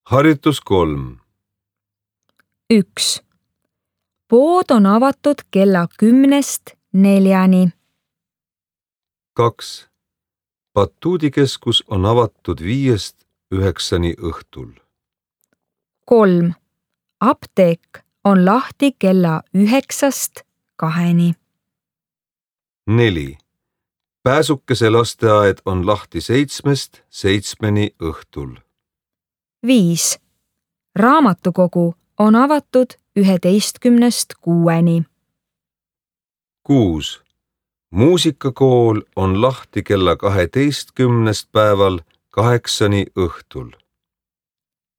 Harjutus 3. 1. Pood on avatud kella 10-st 4-ni. 2. Batuudikeskus on avatud 5-st 9-ni õhtul. 3. Apteek on lahti kella 9-st 2-ni. 4. Pääsukese lasteaed on lahti 7-st 7-ni õhtul. 5. Raamatukogu on avatud 11-st 6-ni. 6. Muusikakool on lahti kella 12 päeval 8-ni õhtul.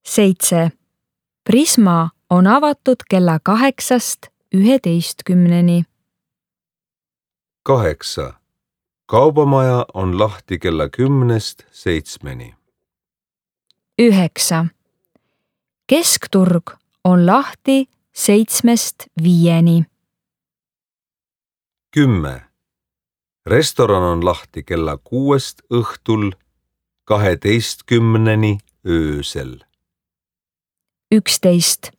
7. Prisma on avatud kella 8-st 11-ni. 8. Kaubamaja on lahti kella 10-st 7-ni. 9. Keskturg on lahti 7-st 5-ni. 10. Restoran on lahti kella 6-st õhtul 12-ni öösel. 11.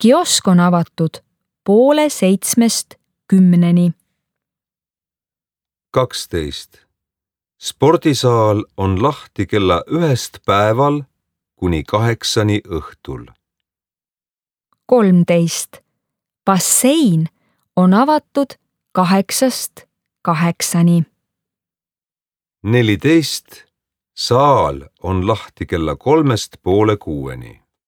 Kiosk on avatud 6:30 10-ni. 12. Spordisaal on lahti kella 1 päeval kuni 8-ni õhtul. 13. Bassein on avatud 8-st 8-ni. 14. Saal on lahti kella 3-st poole 6-ni.